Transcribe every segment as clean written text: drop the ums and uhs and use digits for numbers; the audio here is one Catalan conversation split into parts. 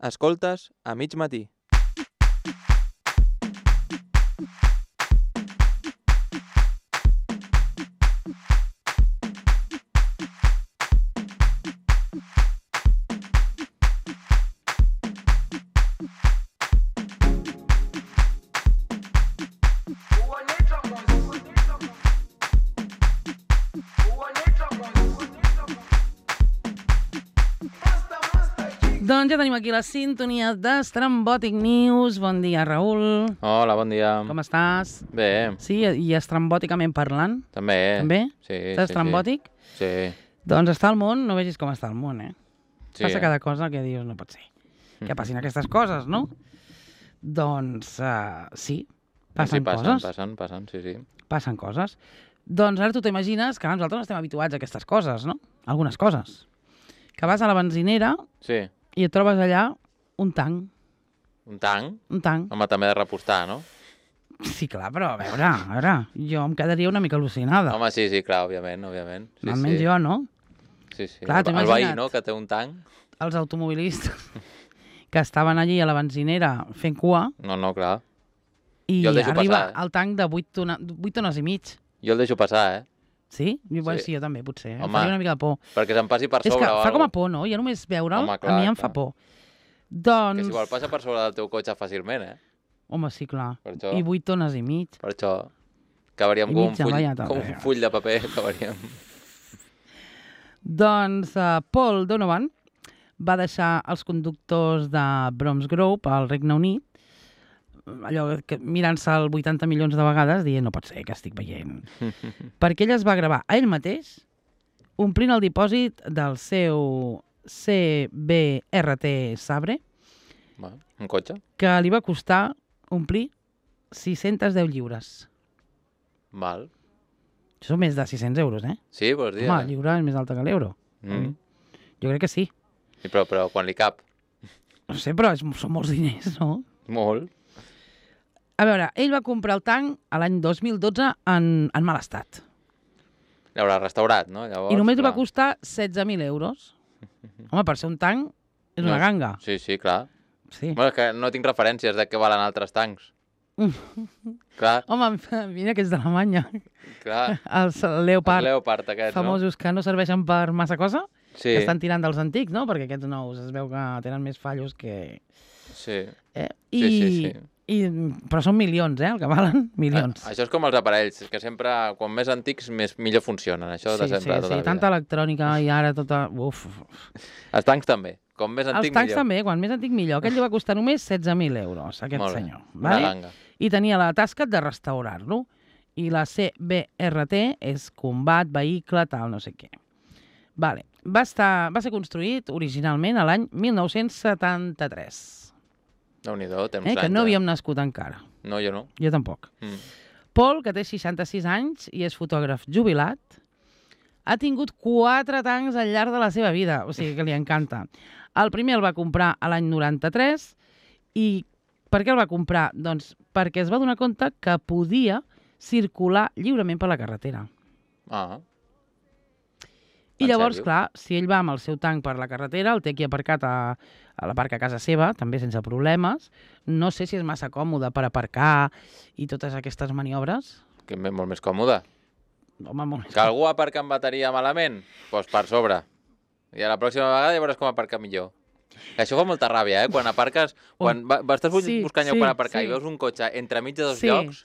Escoltes a mig matí. Doncs ja tenim aquí la sintonia d'Estrambòtic News. Bon dia, Raül. Hola, bon dia. Com estàs? Bé. Sí, i estrambòticament parlant? També. També? Sí. Estàs estrambòtic? Sí. Doncs està al món, no vegis com està el món, Sí. Passa cada cosa que dius, no pot ser. Que passin aquestes coses, no? Doncs sí, passen coses. Passen, sí. Passen coses. Doncs ara tu t'imagines que nosaltres no estem habituats a aquestes coses, no? Algunes coses. Que vas a la benzinera Sí. i et trobes allà un tanc. Un tanc? Un tanc. Home, també de repostar, no? Sí, clar, però a veure, jo em quedaria una mica al·lucinada. Home, sí, clar, òbviament. Sí, Almenys jo, no? Sí. Clar, el veí, no?, que té un tanc. Els automobilistes que estaven allí a la benzinera fent cua No, clar. i Jo el deixo arriba passar, el tanc de 8 tones i mig. Jo el deixo passar, Sí? Bueno, Sí. sí, jo també, potser. Em Home, faria una mica de por. perquè se'n passi per És sobre que o fa com a alguna por, no? Ja només veure'l, Home, a clar, mi em clar. fa por. Que Doncs... si vol passa per sobre del teu cotxe fàcilment, Home, sí, clar. Per això. I 8 tones i mig. Per això acabaríem I com un mitja, full, vaja, com un full de paper, acabaríem. Doncs Paul Donovan va deixar els conductors de Bromsgrove al Regne Unit allò que mirant-se el 80 milions de vegades dient no pot ser que estic veient. Perquè ell es va gravar a ell mateix omplint el dipòsit del seu CBRT Sabre Un cotxe? que li va costar omplir 610 lliures. Val. Això són més de 600 euros, Sí, vols dir? Home, el lliure és més alta que l'euro. Jo crec que sí. Sí, però quan li cap? No sé, però són molts diners, no? Molt. A veure, ell va comprar el tanc a l'any 2012 en mal estat. L'haurà restaurat, no? Llavors, I només li va clar. costar 16.000 euros. Home, per ser un tanc és una ganga. Sí, clar. Sí. Bueno, és que no tinc referències de què valen altres tancs. Clar, Home, mira que és d'Alemanya. clar. Els Leopard Els Leopard aquests, famosos que no serveixen per massa cosa, no? Sí, que estan tirant dels antics, no? Perquè aquests nous es veu que tenen més fallos que... sí. Sí. Però són milions, el que valen? Milions. Això és com els aparells, que sempre, quan més antics, millor funcionen. Això de sempre, tota la vida. Tanta electrònica i ara tota... Uf. Els tancs també. Com més antic, Els tancs millor. també, quan més antic millor. Aquest li va costar només 16.000 euros, aquest Molt bé. senyor. Una ganga. I tenia la tasca de restaurar-lo. I la CBRT és combat, vehicle, tal, no sé què. Vale. Va ser construït originalment a l'any 1973. Déu-n'hi-do, temps anys. Que no havíem nascut encara. No, jo no. Jo tampoc. Paul, que té 66 anys i és fotògraf jubilat, ha tingut 4 tancs al llarg de la seva vida, o sigui que li encanta. El primer el va comprar a l'any 93 i per què el va comprar? Doncs perquè es va donar compte que podia circular lliurement per la carretera. I llavors, clar, si ell va amb el seu tanc per la carretera, el té aquí aparcat a la parc a casa seva, també sense problemes. No sé si és massa còmode per aparcar i totes aquestes maniobres. Que és molt més còmode. Home, molt més Que algú aparca amb bateria malament? Doncs per sobre. I a la pròxima vegada ja veuràs com aparcar millor. Això fa molta ràbia, quan aparques... Quan estàs buscant lloc per aparcar i veus un cotxe entremig de dos llocs,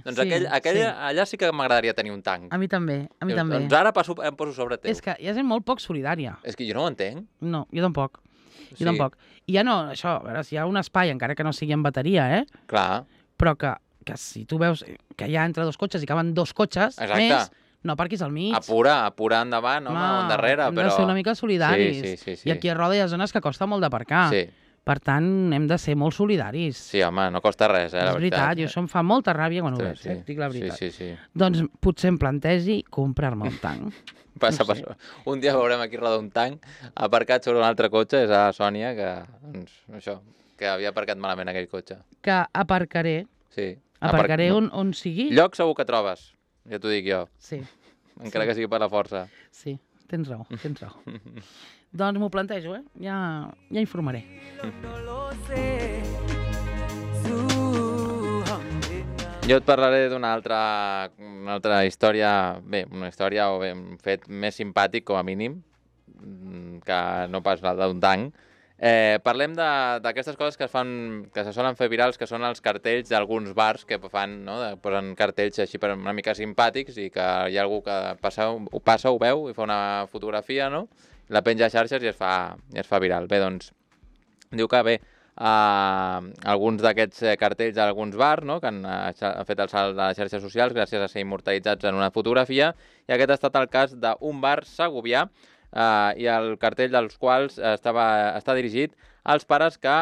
doncs allà sí que m'agradaria tenir un tanc. A mi també, Doncs ara em poso sobre teu. És que hi ha gent molt poc solidària. És que jo no ho entenc. No, jo tampoc. Jo tampoc. I ja no, això, a veure, si hi ha un espai, encara que no sigui en bateria, Clar. però que si tu veus que hi ha entre dos cotxes i caben 2 cotxes més, no aparquis al mig. Apura endavant, home, o endarrere, però... Hem de ser una mica solidaris. Sí. I aquí a Roda hi ha zones que costa molt d'aparcar. Sí. Per tant, hem de ser molt solidaris. Sí, home, no costa res, la veritat. És veritat, i això em fa molta ràbia quan ho veig, dic la veritat. Sí. Doncs potser em plantegi comprar-me un tanc. Passa. Un dia veurem aquí Roda un tanc aparcat sobre un altre cotxe, és a Sònia, que havia aparcat malament aquell cotxe. Que aparcaré. Sí. Aparcaré on sigui. Lloc segur que trobes, ja t'ho dic jo. Sí. Encara que sigui per la força. Sí, tens raó. Doncs m'ho plantejo, ja informaré. Jo et parlaré d'una altra història, una història o un fet més simpàtic, com a mínim, que no pas la d'un tanc. Parlem d'aquestes coses que se solen fer virals, que són els cartells d'alguns bars que fan, no? Posen cartells així per una mica simpàtics i que hi ha algú que ho veu i fa una fotografia, no? La penja a xarxes i es fa viral. Bé, doncs, diu que alguns d'aquests cartells d'alguns bars, no? Que han fet el salt de les xarxes socials gràcies a ser immortalitzats en una fotografia, i aquest ha estat el cas d'un bar segovià, i el cartell dels quals està dirigit als pares que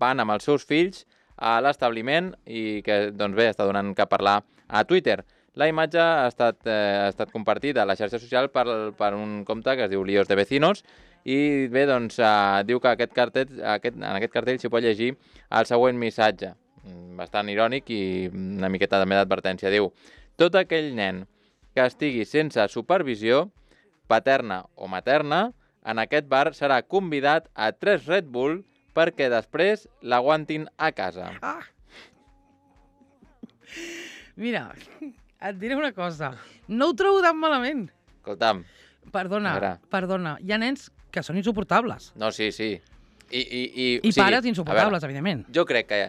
van amb els seus fills a l'establiment i que, doncs bé, està donant que parlar a Twitter. La imatge ha estat compartida a la xarxa social per un compte que es diu Líos de Vecinos, i bé, doncs, diu que en aquest cartell s'hi pot llegir el següent missatge, bastant irònic i una miqueta també d'advertència. Diu: tot aquell nen que estigui sense supervisió, paterna o materna, en aquest bar serà convidat a 3 Red Bull perquè després l'aguantin a casa. Mira, et diré una cosa. No ho trobo tan malament. Escolta'm. Perdona. Hi ha nens que són insuportables. No, sí. I pares insuportables, evidentment. Jo crec que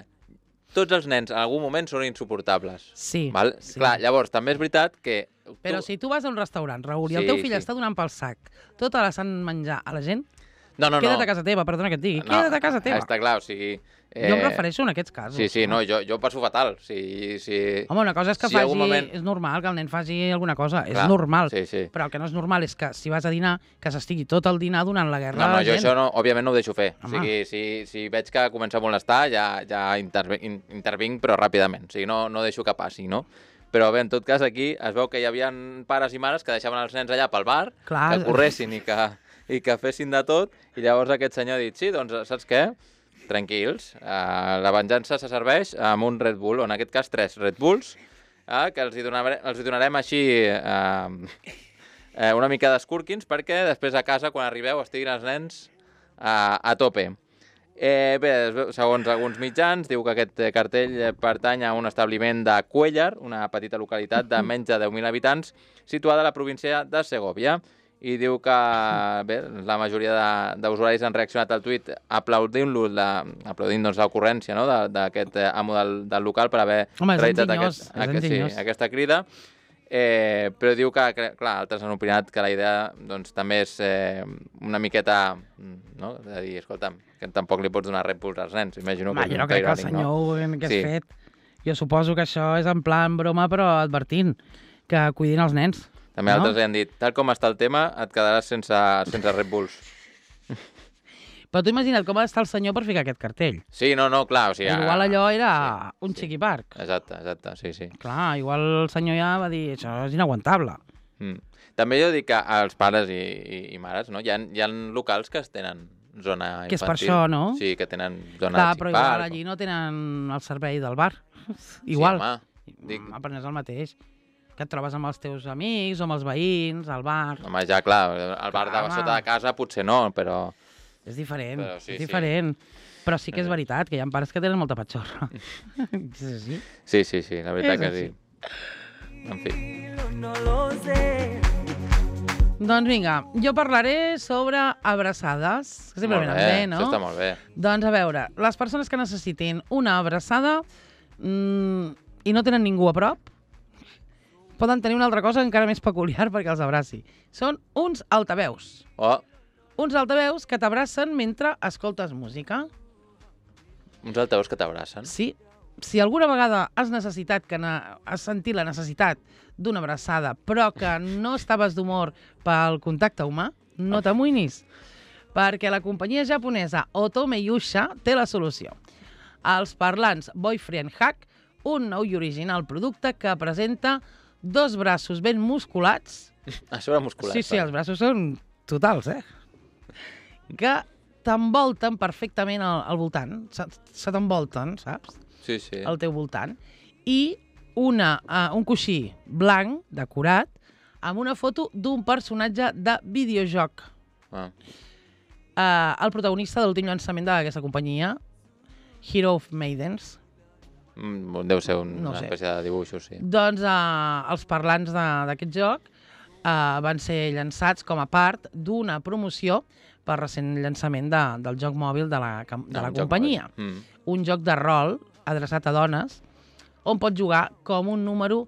tots els nens en algun moment són insuportables. Sí. Val? Sí. Clar, llavors, també és veritat que... Però si tu vas a un restaurant, Raül, i el teu fill està donant pel sac tota la sant menjar a la gent, queda't a casa teva, perdona que et digui, queda't a casa teva. Està clar, o sigui... Jo em refereixo en aquests casos. Sí, no, jo passo fatal. Home, una cosa és que és normal que el nen faci alguna cosa, és normal. Sí. Però el que no és normal és que si vas a dinar, que s'estigui tot el dinar donant la guerra a la gent. No, jo això òbviament no ho deixo fer. O sigui, si veig que comença a molestar, ja intervinc, però ràpidament. O sigui, no deixo que passi, no? Però bé, en tot cas, aquí es veu que hi havia pares i mares que deixaven els nens allà pel bar, que corressin i que fessin de tot, i llavors aquest senyor ha dit: sí, doncs, saps què? Tranquils, la venjança se serveix amb un Red Bull, o en aquest cas 3 Red Bulls, que els hi donarem així una mica d'escúrquins perquè després a casa, quan arribeu, estiguin els nens a tope. Bé, segons alguns mitjans, diu que aquest cartell pertany a un establiment de Cuéllar, una petita localitat de menys de 10.000 habitants, situada a la província de Segòvia. I diu que bé, la majoria d'usuaris han reaccionat al tuit aplaudint l'ocurrència, no?, d'aquest amo del local per haver realitzat aquesta crida. Però diu que, clar, altres han opinat que la idea doncs, també és una miqueta, no?, de dir, escolta'm, que tampoc li pots donar Red Bulls als nens. Imagino que jo no crec que el senyor que has fet. Jo suposo que això és en plan broma, però advertint que cuidin els nens. També altres li han dit, tal com està el tema, et quedaràs sense Red Bulls. Però tu imagina't com ha d'estar el senyor per ficar aquest cartell. Sí, no, clar, o sigui... Igual allò era un xiqui parc. Exacte, sí. Clar, igual el senyor ja va dir, això és inaguantable. També jo dic que als pares i mares, no? Hi ha locals que tenen zona infantil. Que és per això, no? Sí, que tenen zona de xic parc. Però igual allí no tenen el servei del bar. Igual. Sí, home. Però no és el mateix. Que et trobes amb els teus amics o amb els veïns, al bar... Home, ja, clar, el bar de sota de casa potser no, però... És diferent, diferent. Però sí que és veritat, que hi ha pares que tenen molta patxorra. Sí, la veritat que sí. En fi. Doncs vinga, jo parlaré sobre abraçades, que sempre venen bé, no? Això està molt bé. Doncs a veure, les persones que necessitin una abraçada i no tenen ningú a prop, poden tenir una altra cosa encara més peculiar perquè els abraci. Són uns altaveus. Uns altaveus que t'abracen mentre escoltes música. Uns altaveus que t'abracen? Sí. Si alguna vegada has sentit la necessitat d'una abraçada, però que no estaves d'humor pel contacte humà, no t'amoïnis, perquè la companyia japonesa Otome Yusha té la solució. Els parlants Boyfriend Hack, un nou i original producte que presenta 2 braços ben musculats. A sobre musculats. Sí, els braços són totals, que t'envolten perfectament al voltant. Se t'envolten, saps? Sí. Al teu voltant. I un coixí blanc, decorat, amb una foto d'un personatge de videojoc. el protagonista de l'últim llançament d'aquesta companyia, Hero of Maidens. Deu ser una espècie de dibuixos, sí. Doncs els parlants d'aquest joc van ser llançats com a part d'una promoció per recent llançament del joc mòbil de la companyia. Un joc de rol adreçat a dones on pots jugar com un número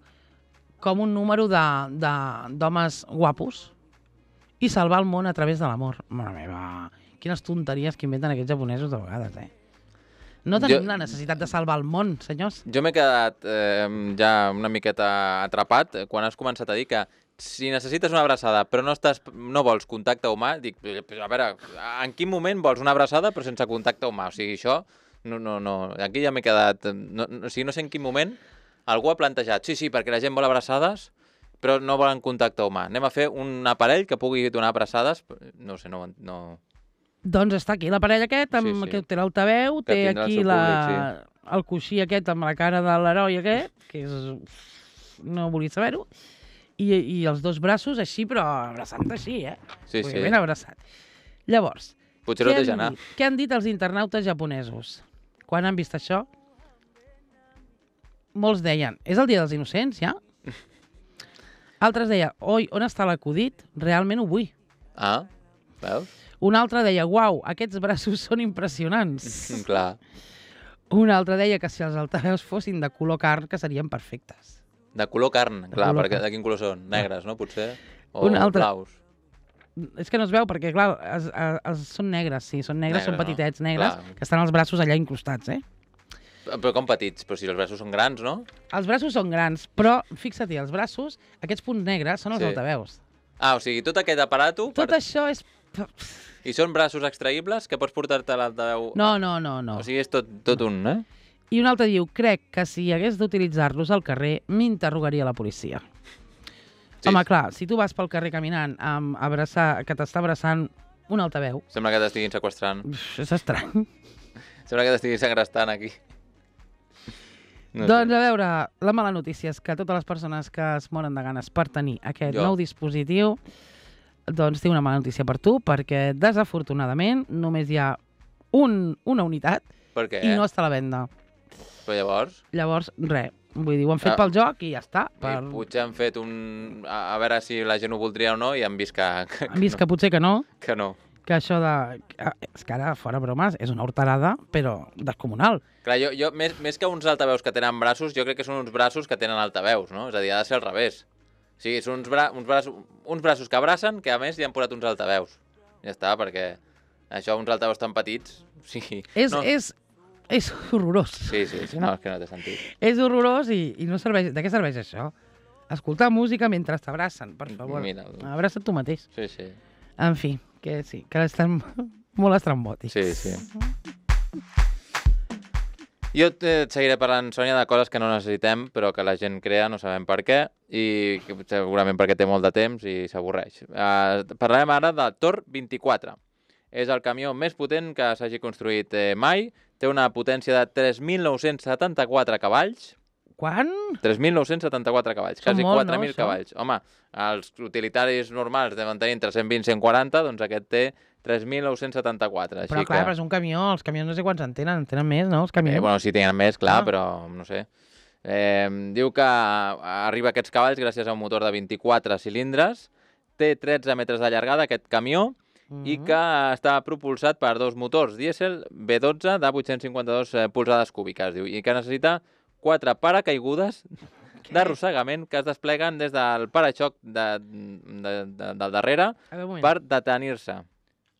d'homes guapos i salvar el món a través de l'amor. Mare meva, quines tonteries que inventen aquests japonesos de vegades, No tenim la necessitat de salvar el món, senyors. Jo m'he quedat ja una miqueta atrapat quan has començat a dir que si necessites una abraçada però no vols contacte humà, dic, a veure, en quin moment vols una abraçada però sense contacte humà? O sigui, això, no, aquí ja m'he quedat... O sigui, no sé en quin moment algú ha plantejat, sí, perquè la gent vol abraçades però no volen contacte humà. Anem a fer un aparell que pugui donar abraçades, no sé, no... Doncs està aquí l'aparell aquest, que té l'altaveu, té aquí el coixí aquest amb la cara de l'heroi aquest, que no volia saber-ho, i els dos braços així, però abraçant així, Sí. Ben abraçat. Llavors, què han dit els internautes japonesos? Quan han vist això? Molts deien, és el dia dels innocents, ja? Altres deien, oi, on està l'acudit? Realment ho vull. Ah, veus? Un altre deia, uau, aquests braços són impressionants. Clar. Un altre deia que si els altaveus fossin de color carn, que serien perfectes. De color carn, clar, perquè de quin color són? Negres, no, potser? O blaus? És que no es veu, perquè, clar, són negres, sí, són negres, són petitets negres, que estan els braços allà incrustats, Però com petits? Però si els braços són grans, no? Els braços són grans, però, fixa't, els braços, aquests punts negres, són els altaveus. Ah, o sigui, tot aquest aparato... Tot això és... I són braços extraïbles que pots portar-te a l'altaveu? No. O sigui, és tot un, I un altre diu, crec que si hagués d'utilitzar-los al carrer, m'interrogaria la policia. Sí. Home, clar, si tu vas pel carrer caminant que t'està abraçant un altaveu... Sembla que t'estiguin seqüestrant. És estrany. Sembla que t'estiguin segrestant aquí. Doncs a veure, la mala notícia és que totes les persones que es moren de ganes per tenir aquest nou dispositiu, doncs té una mala notícia per tu, perquè desafortunadament només hi ha una unitat i no està a la venda. Però llavors? Llavors, res. Vull dir, ho han fet pel joc i ja està. Potser han fet a veure si la gent ho voldria o no i han vist que... Han vist que potser que no. Que no. Que això de... És que ara, fora bromes, és una horterada, però descomunal. Clar, jo més que uns altaveus que tenen braços, jo crec que són uns braços que tenen altaveus, no? És a dir, ha de ser al revés. O sigui, són uns braços que abracen, que a més li han posat uns altaveus. Ja està, perquè això, uns altaveus tan petits... Sí, és horrorós. Sí, no, és que no té sentit. És horrorós i no serveix... De què serveix això? Escoltar música mentre t'abracen, per favor. Abraça't tu mateix. Sí. En fi, que sí, que estan molt estrambòtics. Sí. Jo et seguiré parlant, Sònia, de coses que no necessitem, però que la gent crea, no sabem per què, i segurament perquè té molt de temps i s'avorreix. Parlarem ara de Tor 24. És el camió més potent que s'hagi construït mai. Té una potència de 3.974 cavalls. Quan? 3.974 cavalls, quasi 4.000 cavalls. Home, els utilitaris normals deuen tenir entre 120 i 140, doncs aquest té 3.974. Però clar, però és un camió, els camions no sé quants en tenen més, no? Els camions. Bueno, sí, tenen més, clar, però no sé. Diu que arriba a aquests cavalls gràcies a un motor de 24 cilindres, té 13 metres de llargada aquest camió, i que està propulsat per dos motors dièsel V12 de 852 polzades cúbiques, diu, i que necessita 4 paracaigudes d'arrossegament que es despleguen des del paraxoc del darrere per detenir-se.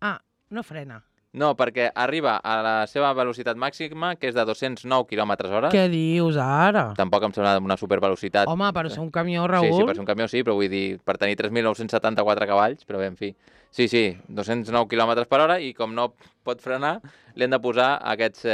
Ah, no frena. No, perquè arriba a la seva velocitat màxima, que és de 209 km/h. Què dius ara? Tampoc em sembla una supervelocitat. Home, per ser un camió, Raül... Sí, per ser un camió sí, però vull dir, per tenir 3.974 cavalls, però bé, en fi. Sí, 209 km/h i com no pot frenar, li han de posar aquests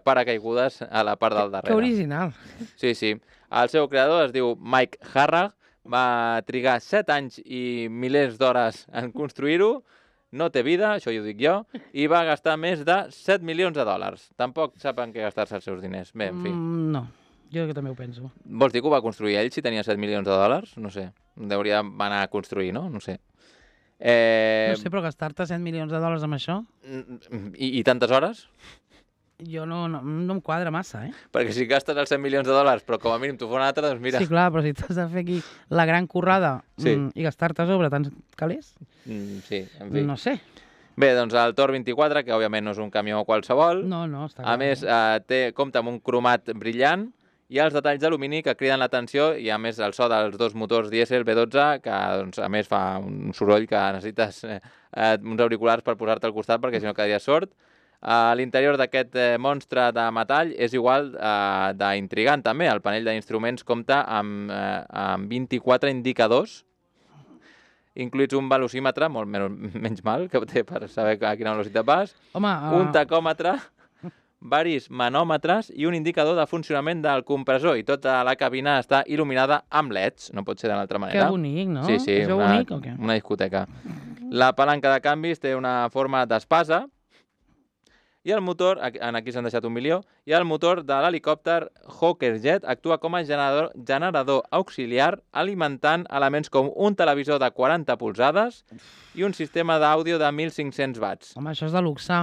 paracaigudes a la part del darrere. Que original. Sí. El seu creador es diu Mike Harrag, va trigar 7 anys i milers d'hores en construir-ho, no té vida, això ho dic jo, i va gastar més de 7 milions de dòlars. Tampoc sap en què gastar-se els seus diners. Bé, en fi. No, jo també ho penso. Vols dir que ho va construir ell si tenia 7 milions de dòlars? No sé. Hauria d'anar a construir, no? No sé. No sé, però gastar-te 100 milions de dòlars amb això... I tantes hores? Jo no em quadra massa, Perquè si gastes els 100 milions de dòlars, però com a mínim tu fa una altra, doncs mira... Sí, clar, però si t'has de fer aquí la gran currada i gastar-te a sobre tants calés... Sí, en fi. No sé. Bé, doncs el Tor 24, que òbviament no és un camió qualsevol. No, està clar. A més, compta amb un cromat brillant i els detalls d'alumini que criden l'atenció i a més el so dels dos motors dièsel V12, que doncs, a més fa un soroll que necessites uns auriculars per posar-te al costat perquè si no quedaries sord. L'interior d'aquest monstre de metall és igual d'intrigant també. El panell d'instruments compta amb 24 indicadors, incluïts un velocímetre, molt menys mal, que té per saber a quina velocitat vas, un tacòmetre, varis manòmetres i un indicador de funcionament del compressor. I tota la cabina està il·luminada amb LEDs, no pot ser d'una altra manera. Que bonic, no? Sí, és bonic o què? Una discoteca. La palanca de canvis té una forma d'espasa, i el motor, aquí s'han deixat 1 milió, i el motor de l'helicòpter Hawker Jet actua com a generador auxiliar alimentant elements com un televisor de 40 polzades i un sistema d'àudio de 1.500 watts. Home, això és de luxe.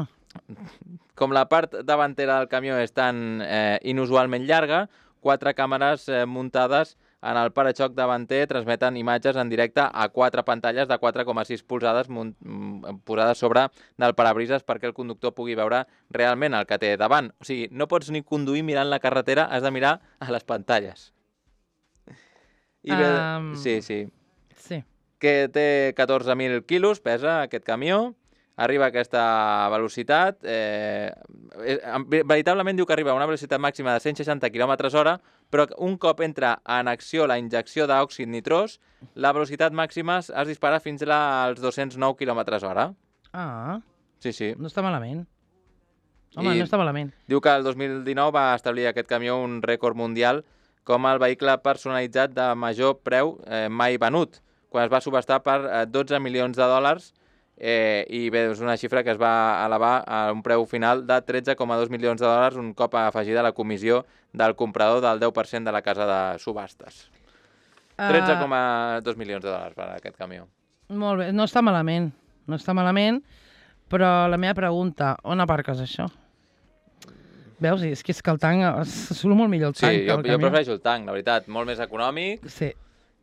Com la part davantera del camió és tan inusualment llarga, 4 càmeres muntades en el paraxoc davanter transmeten imatges en directe a 4 pantalles de 4,6 polzades posades sobre del parabrises perquè el conductor pugui veure realment el que té davant. O sigui, no pots ni conduir mirant la carretera, has de mirar a les pantalles. I bé, sí. Que té 14.000 quilos, pesa aquest camió, arriba a aquesta velocitat, veritablement diu que arriba a una velocitat màxima de 160 km/h, però un cop entra en acció la injecció d'òxid nitrós, la velocitat màxima es dispara fins als 209 km/h. Ah, sí. No està malament. Home, no està malament. Diu que el 2019 va establir aquest camió un rècord mundial com el vehicle personalitzat de major preu mai venut, quan es va subhastar per 12 milions de dòlars, i bé, és una xifra que es va elevar a un preu final de 13,2 milions de dòlars un cop afegida la comissió del comprador del 10% de la casa de subhastes. 13,2 milions de dòlars per aquest camió. Molt bé, no està malament, però la meva pregunta, on aparques això? Veus? És que el tanc, surt molt millor el tanc que el camió. Sí, jo prefereixo el tanc, la veritat, molt més econòmic. Sí.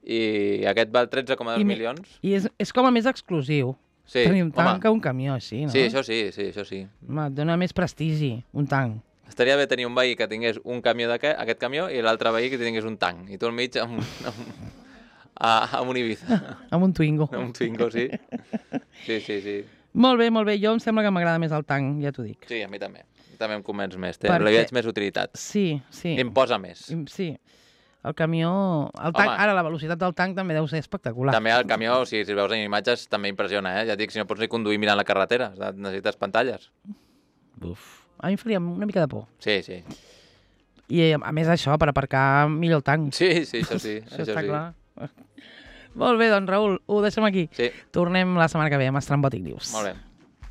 I aquest val 13,2 milions. I és com a més exclusiu. Sí, tenir un tanc que un camió així, no? Sí, això sí. Home, et dona més prestigi, un tanc. Estaria bé tenir un veí que tingués un camió aquest camió i l'altre veí que tingués un tanc. I tu al mig amb un Ibiza. Amb un Twingo. Amb un Twingo, sí. Sí. Molt bé. Jo em sembla que m'agrada més el tanc, ja t'ho dic. Sí, a mi també. També em convenç més. Li veig més utilitat. Sí. Imposa més. Sí. El camió... Ara, la velocitat del tanc també deu ser espectacular. També el camió, si veus en imatges, també impressiona, Ja et dic, si no pots ni conduir mirant la carretera, necessites pantalles. A mi em faria una mica de por. Sí. I a més això, per aparcar millor el tanc. Sí, això sí. Això està clar. Molt bé, doncs Raül, ho deixem aquí. Sí. Tornem la setmana que ve amb Estrambòtic News. Molt bé.